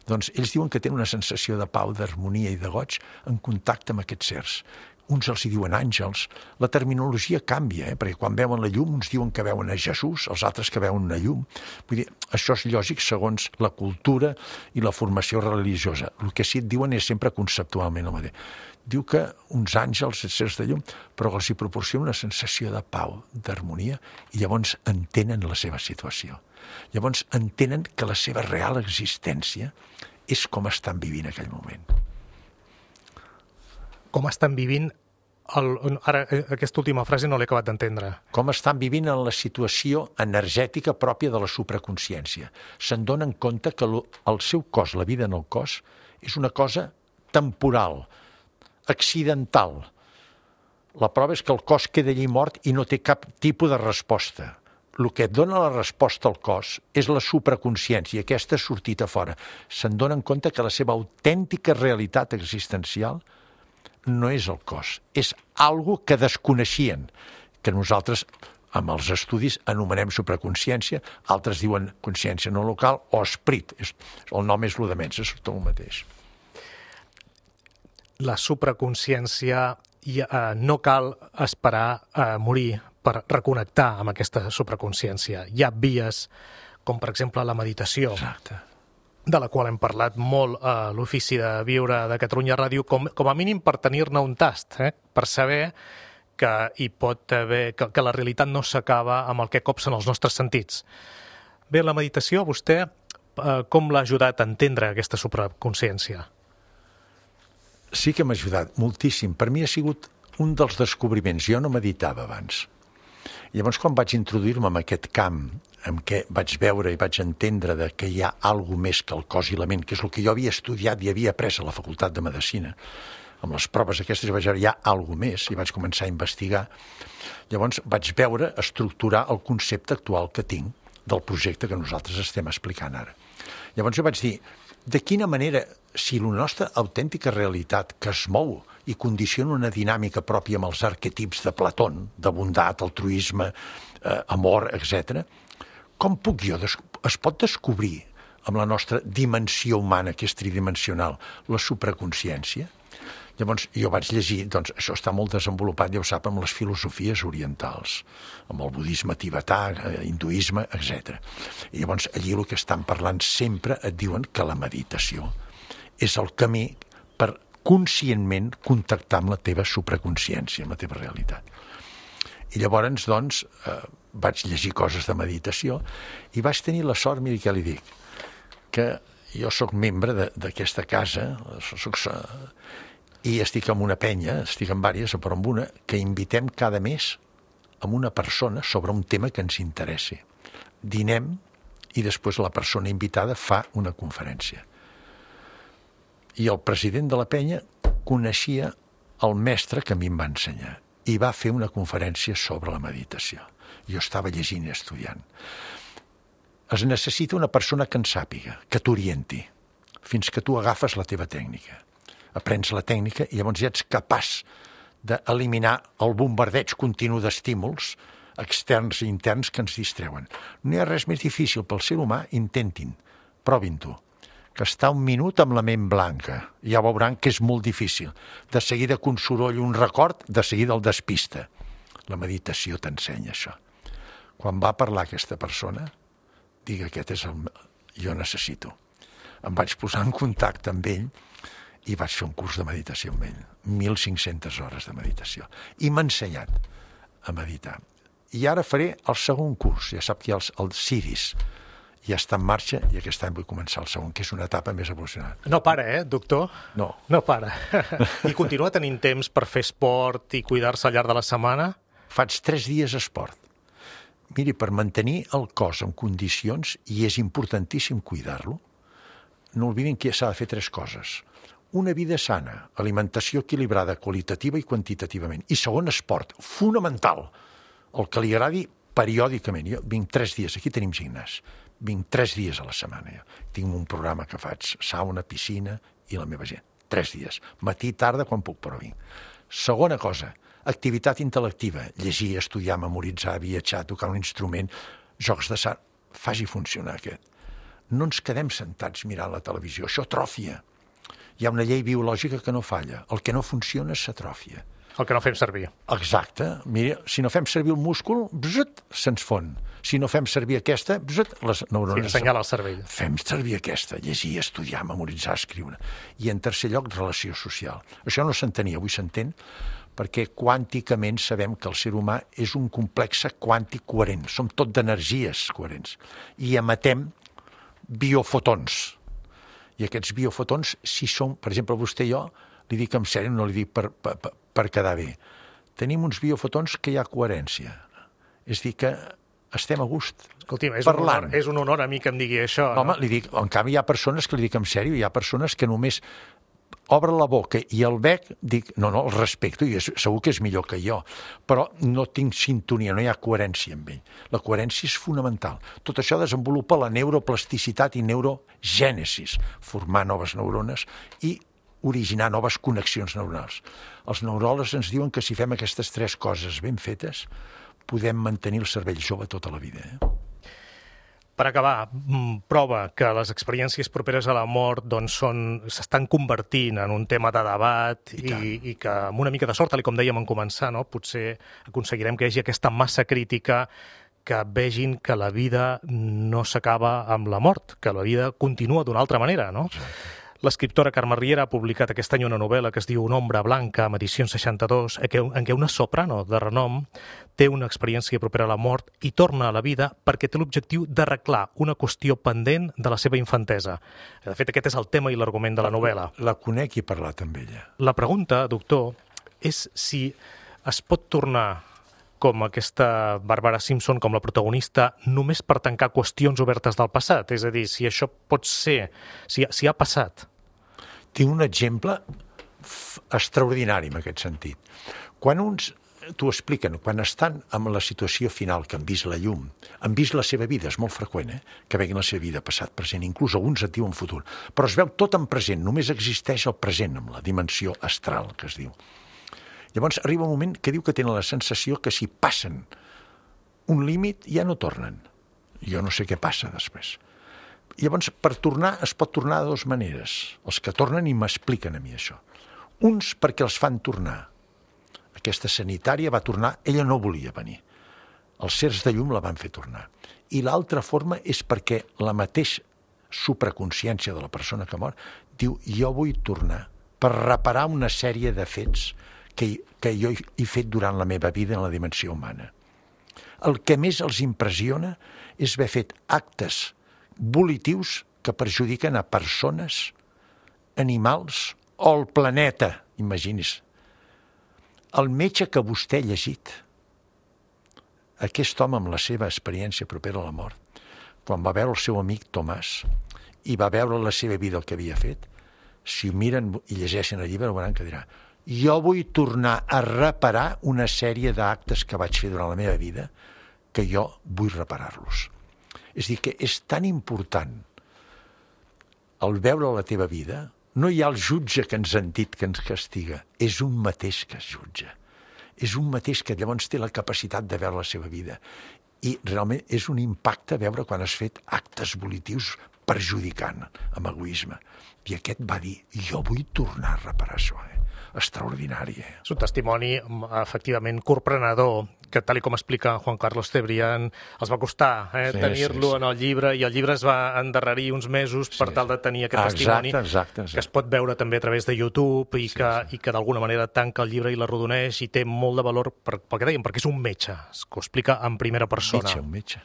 Doncs ells diuen que tenen una sensació de pau, d'harmonia i de goig en contacte amb aquests sers. Uns els hi diuen àngels. La terminologia canvia, perquè quan veuen la llum uns diuen que veuen a Jesús, els altres que veuen una llum. Vull dir, això és lògic segons la cultura i la formació religiosa. El que sí et diuen és sempre conceptualment el mateix. Diu que uns àngels, sers de llum, però els hi proporciona una sensació de pau, d'harmonia, i llavors entenen la seva situació. Llavors entenen que la seva real existència és com estan vivint aquell moment. Com estan vivint... Ara, aquesta última frase no l'he acabat d'entendre. Com estan vivint en la situació energètica pròpia de la supraconsciència. Se'n donen compte que el seu cos, la vida en el cos, és una cosa temporal, accidental. La prova és que el cos queda allí mort i no té cap tipus de resposta. El que dona la resposta al cos és la supraconsciència, aquesta ha sortit a fora. Se'n donen compte que la seva autèntica realitat existencial no és el cos, és algo que desconeixien, que nosaltres, amb els estudis, anomenem supraconsciència, altres diuen consciència no local o esperit. El nom és el de menys, és tot el mateix. La supraconsciència, no cal esperar a morir per reconnectar amb aquesta supraconsciència. Hi ha vies, com per exemple la meditació. Exacte. De la qual hem parlat molt a l'Ofici de Viure de Catalunya Ràdio, com a mínim per tenir-ne un tast, per saber que hi pot haver, que la realitat no s'acaba amb el que copsen els nostres sentits. Bé, la meditació, vostè, com l'ha ajudat a entendre aquesta supraconsciència? Sí que m'ha ajudat moltíssim. Per mi ha sigut un dels descobriments. Jo no meditava abans. Llavors, quan vaig introduir-me en aquest camp, en què vaig veure i vaig entendre que hi ha alguna més que el cos i la ment, que és el que jo havia estudiat i havia après a la Facultat de Medicina, amb les proves aquestes vaig veure hi ha alguna més i vaig començar a investigar. Llavors vaig veure estructurar el concepte actual que tinc del projecte que nosaltres estem explicant ara. Llavors jo vaig dir, de quina manera, si la nostra autèntica realitat que es mou i condiciona una dinàmica pròpia amb els arquetips de Platón, de bondat, altruisme, amor, etc., com puc jo, es pot descobrir amb la nostra dimensió humana, que és tridimensional, la supraconsciència? Llavors jo vaig llegir, doncs això està molt desenvolupat, ja ho sap, amb les filosofies orientals, amb el budisme tibetà, hinduisme, etc. I llavors allí el que estan parlant sempre et diuen que la meditació és el camí per conscientment contactar amb la teva supraconsciència, amb la teva realitat. I llavors, doncs, vaig llegir coses de meditació i vaig tenir la sort, miri què li dic, que jo sóc membre d'aquesta casa, i estic en una penya, estic en diverses, però en una, que invitem cada mes amb una persona sobre un tema que ens interessi. Dinem i després la persona invitada fa una conferència. I el president de la penya coneixia el mestre que a mi em va ensenyar i va fer una conferència sobre la meditació. Jo estava llegint i estudiant. Es necessita una persona que en sàpiga, que t'orienti, fins que tu agafes la teva tècnica. Aprens la tècnica i llavors ja ets capaç d'eliminar el bombardeig continu d'estímuls externs i interns que ens distreuen. No hi ha res més difícil pel ser humà, intentin, provin-ho, que estar un minut amb la ment blanca. Ja veuran que és molt difícil. De seguida que un soroll, un record, de seguida el despista. La meditació t'ensenya això. Quan va parlar aquesta persona, digue, aquest és el... jo necessito. Em vaig posar en contacte amb ell i vaig fer un curs de meditació amb ell. 1.500 hores de meditació. I m'ha ensenyat a meditar. I ara faré el segon curs. Ja sap que hi ha el CIRIS. Ja està en marxa i aquest any vull començar el segon, que és una etapa més evolucionada. No para, doctor? No. No para. I continua tenint temps per fer esport i cuidar-se al llarg de la setmana? Faig 3 dies esport. Miri, per mantenir el cos en condicions, i és importantíssim cuidar-lo, no oblidin que s'ha de fer 3 coses. Una vida sana, alimentació equilibrada, qualitativa i quantitativament. I segon, esport, fonamental. El que li agradi periòdicament. Jo vinc 3 dies, aquí tenim gimnàs. Vinc 3 dies a la setmana. Jo. Tinc un programa que faig, sauna, piscina i la meva gent. 3 dies. Matí, tarda, quan puc, però vinc. Segona cosa, activitat intel·lectiva. Llegir, estudiar, memoritzar, viatjar, tocar un instrument, jocs de sal. Faci funcionar aquest. No ens quedem sentats mirant la televisió. Això atròfia. Hi ha una llei biològica que no falla. El que no funciona s'atròfia. El que no fem servir. Exacte. Mira, si no fem servir el múscul, se'ns fon. Si no fem servir aquesta, les neurones... Sí, assenyala el cervell. Fem servir aquesta, llegir, estudiar, memoritzar, escriure. I en tercer lloc, relació social. Això no s'entenia, avui s'entén, perquè quànticament sabem que el ser humà és un complex quàntic coherent. Som tot d'energies coherents. I emetem biofotons. I aquests biofotons, si són, per exemple, vostè i jo, li dic en sèrio, no li dic per quedar bé. Tenim uns biofotons que hi ha coherència. És dir, que estem a gust. Escolti'm, parlant. És un honor a mi que em digui això. Home, li dic, en canvi hi ha persones que li dic en sèrio, hi ha persones que només obren la boca i el bec, dic, no, el respecto, i segur que és millor que jo, però no tinc sintonia, no hi ha coherència amb ell. La coherència és fonamental. Tot això desenvolupa la neuroplasticitat i neurogènesis, formar noves neurones i originar noves connexions neuronals. Els neuròlegs ens diuen que si fem aquestes 3 coses ben fetes, podem mantenir el cervell jove tota la vida. Per acabar, prova que les experiències properes a la mort s'estan convertint en un tema de debat i que amb una mica de sort, tal com dèiem en començar, potser aconseguirem que hi hagi aquesta massa crítica que vegin que la vida no s'acaba amb la mort, que la vida continua d'una altra manera, no? L'escriptora Carme Riera ha publicat aquest any una novel·la que es diu Una ombra blanca, amb edicions 62, en què una soprano de renom té una experiència propera a la mort i torna a la vida perquè té l'objectiu d'arreglar una qüestió pendent de la seva infantesa. De fet, aquest és el tema i l'argument de la novel·la. La conec i he parlat amb ella. La pregunta, doctor, és si es pot tornar com aquesta Bàrbara Simpson, com la protagonista, només per tancar qüestions obertes del passat. És a dir, si això pot ser, si ha passat. Tinc un exemple extraordinari en aquest sentit. Quan uns t'ho expliquen, quan estan en la situació final, que han vist la llum, han vist la seva vida, és molt freqüent, que veguin la seva vida passat, present, inclús alguns et diuen futur, però es veu tot en present, només existeix el present, amb la dimensió astral, que es diu. Llavors arriba un moment que diu que tenen la sensació que si passen un límit ja no tornen. Jo no sé què passa després. Llavors, per tornar, es pot tornar de 2 maneres. Els que tornen i m'expliquen a mi això. Uns perquè els fan tornar. Aquesta sanitària va tornar, ella no volia venir. Els sers de llum la van fer tornar. I l'altra forma és perquè la mateixa supraconsciència de la persona que mor diu, jo vull tornar per reparar una sèrie de fets que jo he fet durant la meva vida en la dimensió humana. El que més els impressiona és haver fet actes volitius que perjudiquen a persones, animals o el planeta, imagini's. El metge que vostè ha llegit, aquest home amb la seva experiència propera a la mort, quan va veure el seu amic Tomàs i va veure la seva vida, el que havia fet, si ho miren i llegeixen el llibre, veuran que dirà, jo vull tornar a reparar una sèrie d'actes que vaig fer durant la meva vida que jo vull reparar-los. És a dir, que és tan important el veure la teva vida, no hi ha el jutge que ens han dit que ens castiga, és un mateix que es jutja. És un mateix que llavors té la capacitat de veure la seva vida. I realment és un impacte veure quan has fet actes volitius perjudicant amb egoisme. I aquest va dir, jo vull tornar a reparar això. Extraordinari. És un testimoni, efectivament, corprenedor, que tal com explica Juan Carlos Cebrián, els va costar tenir-lo en el llibre, i el llibre es va endarrerir uns mesos per tal de tenir aquest testimoni, que es pot veure també a través de YouTube i que d'alguna manera tanca el llibre i l'arrodoneix i té molt de valor, pel que dèiem, perquè és un metge, que ho explica en primera persona. Un metge.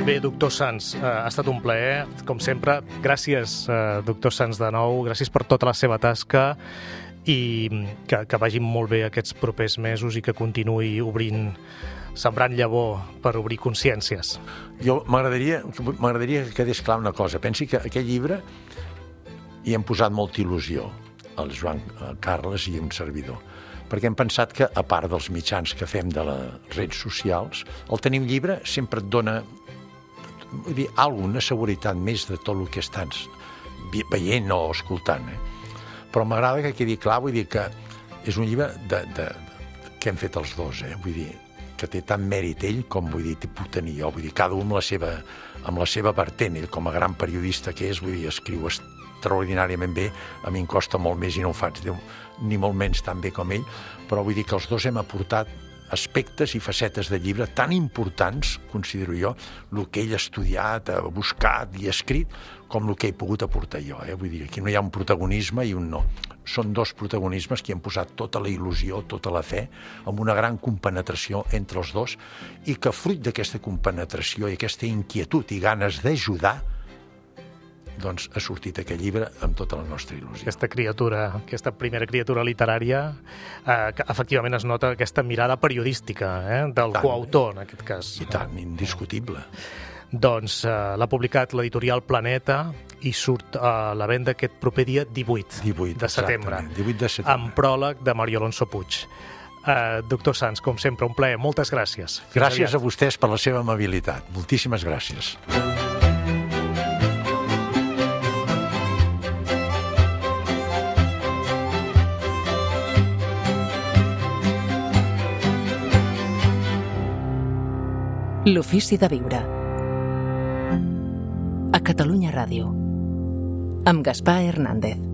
Bé, doctor Sans, ha estat un plaer, com sempre. Gràcies, doctor Sans, de nou. Gràcies per tota la seva tasca i que vagin molt bé aquests propers mesos i que continuï obrint, sembrant llavor per obrir consciències. Jo m'agradaria que quedés clar una cosa. Pensi que aquest llibre hi hem posat molta il·lusió, el Joan Carles i un servidor. perquè hem pensat que, a part dels mitjans que fem de les redes socials, el tenir un llibre sempre et dona, vull dir, una seguretat més de tot el que estàs veient o escoltant. Però m'agrada que quedi clar, vull dir que és un llibre que hem fet els dos, vull dir, que té tant mèrit ell com, vull dir, puc tenir jo, vull dir, cada un amb la seva vertent, ell com a gran periodista que és, vull dir, escriu extraordinàriament bé, a mi em costa molt més i no ho faig ni molt menys tan bé com ell, però vull dir que els dos hem aportat aspectes i facetes de llibre tan importants, considero jo, el que ell ha estudiat, ha buscat i ha escrit, com el que he pogut aportar jo. Vull dir, aquí no hi ha un protagonisme i un no. Són dos protagonismes que han posat tota la il·lusió, tota la fe, amb una gran compenetració entre els dos, i que fruit d'aquesta compenetració i aquesta inquietud i ganes d'ajudar, doncs ha sortit aquest llibre amb tota la nostra il·lusió. Aquesta primera criatura literària, que efectivament es nota aquesta mirada periodística del coautor, en aquest cas. I tant, indiscutible. Doncs l'ha publicat l'editorial Planeta i surt a la venda aquest proper dia 18 de setembre. 18 de setembre. Amb pròleg de Mario Alonso Puig. Doctor Sans, com sempre, un plaer. Moltes gràcies. Gràcies a vostès per la seva amabilitat. Moltíssimes gràcies. L'ofici de viure. A Catalunya Ràdio. Amb Gaspar Hernández.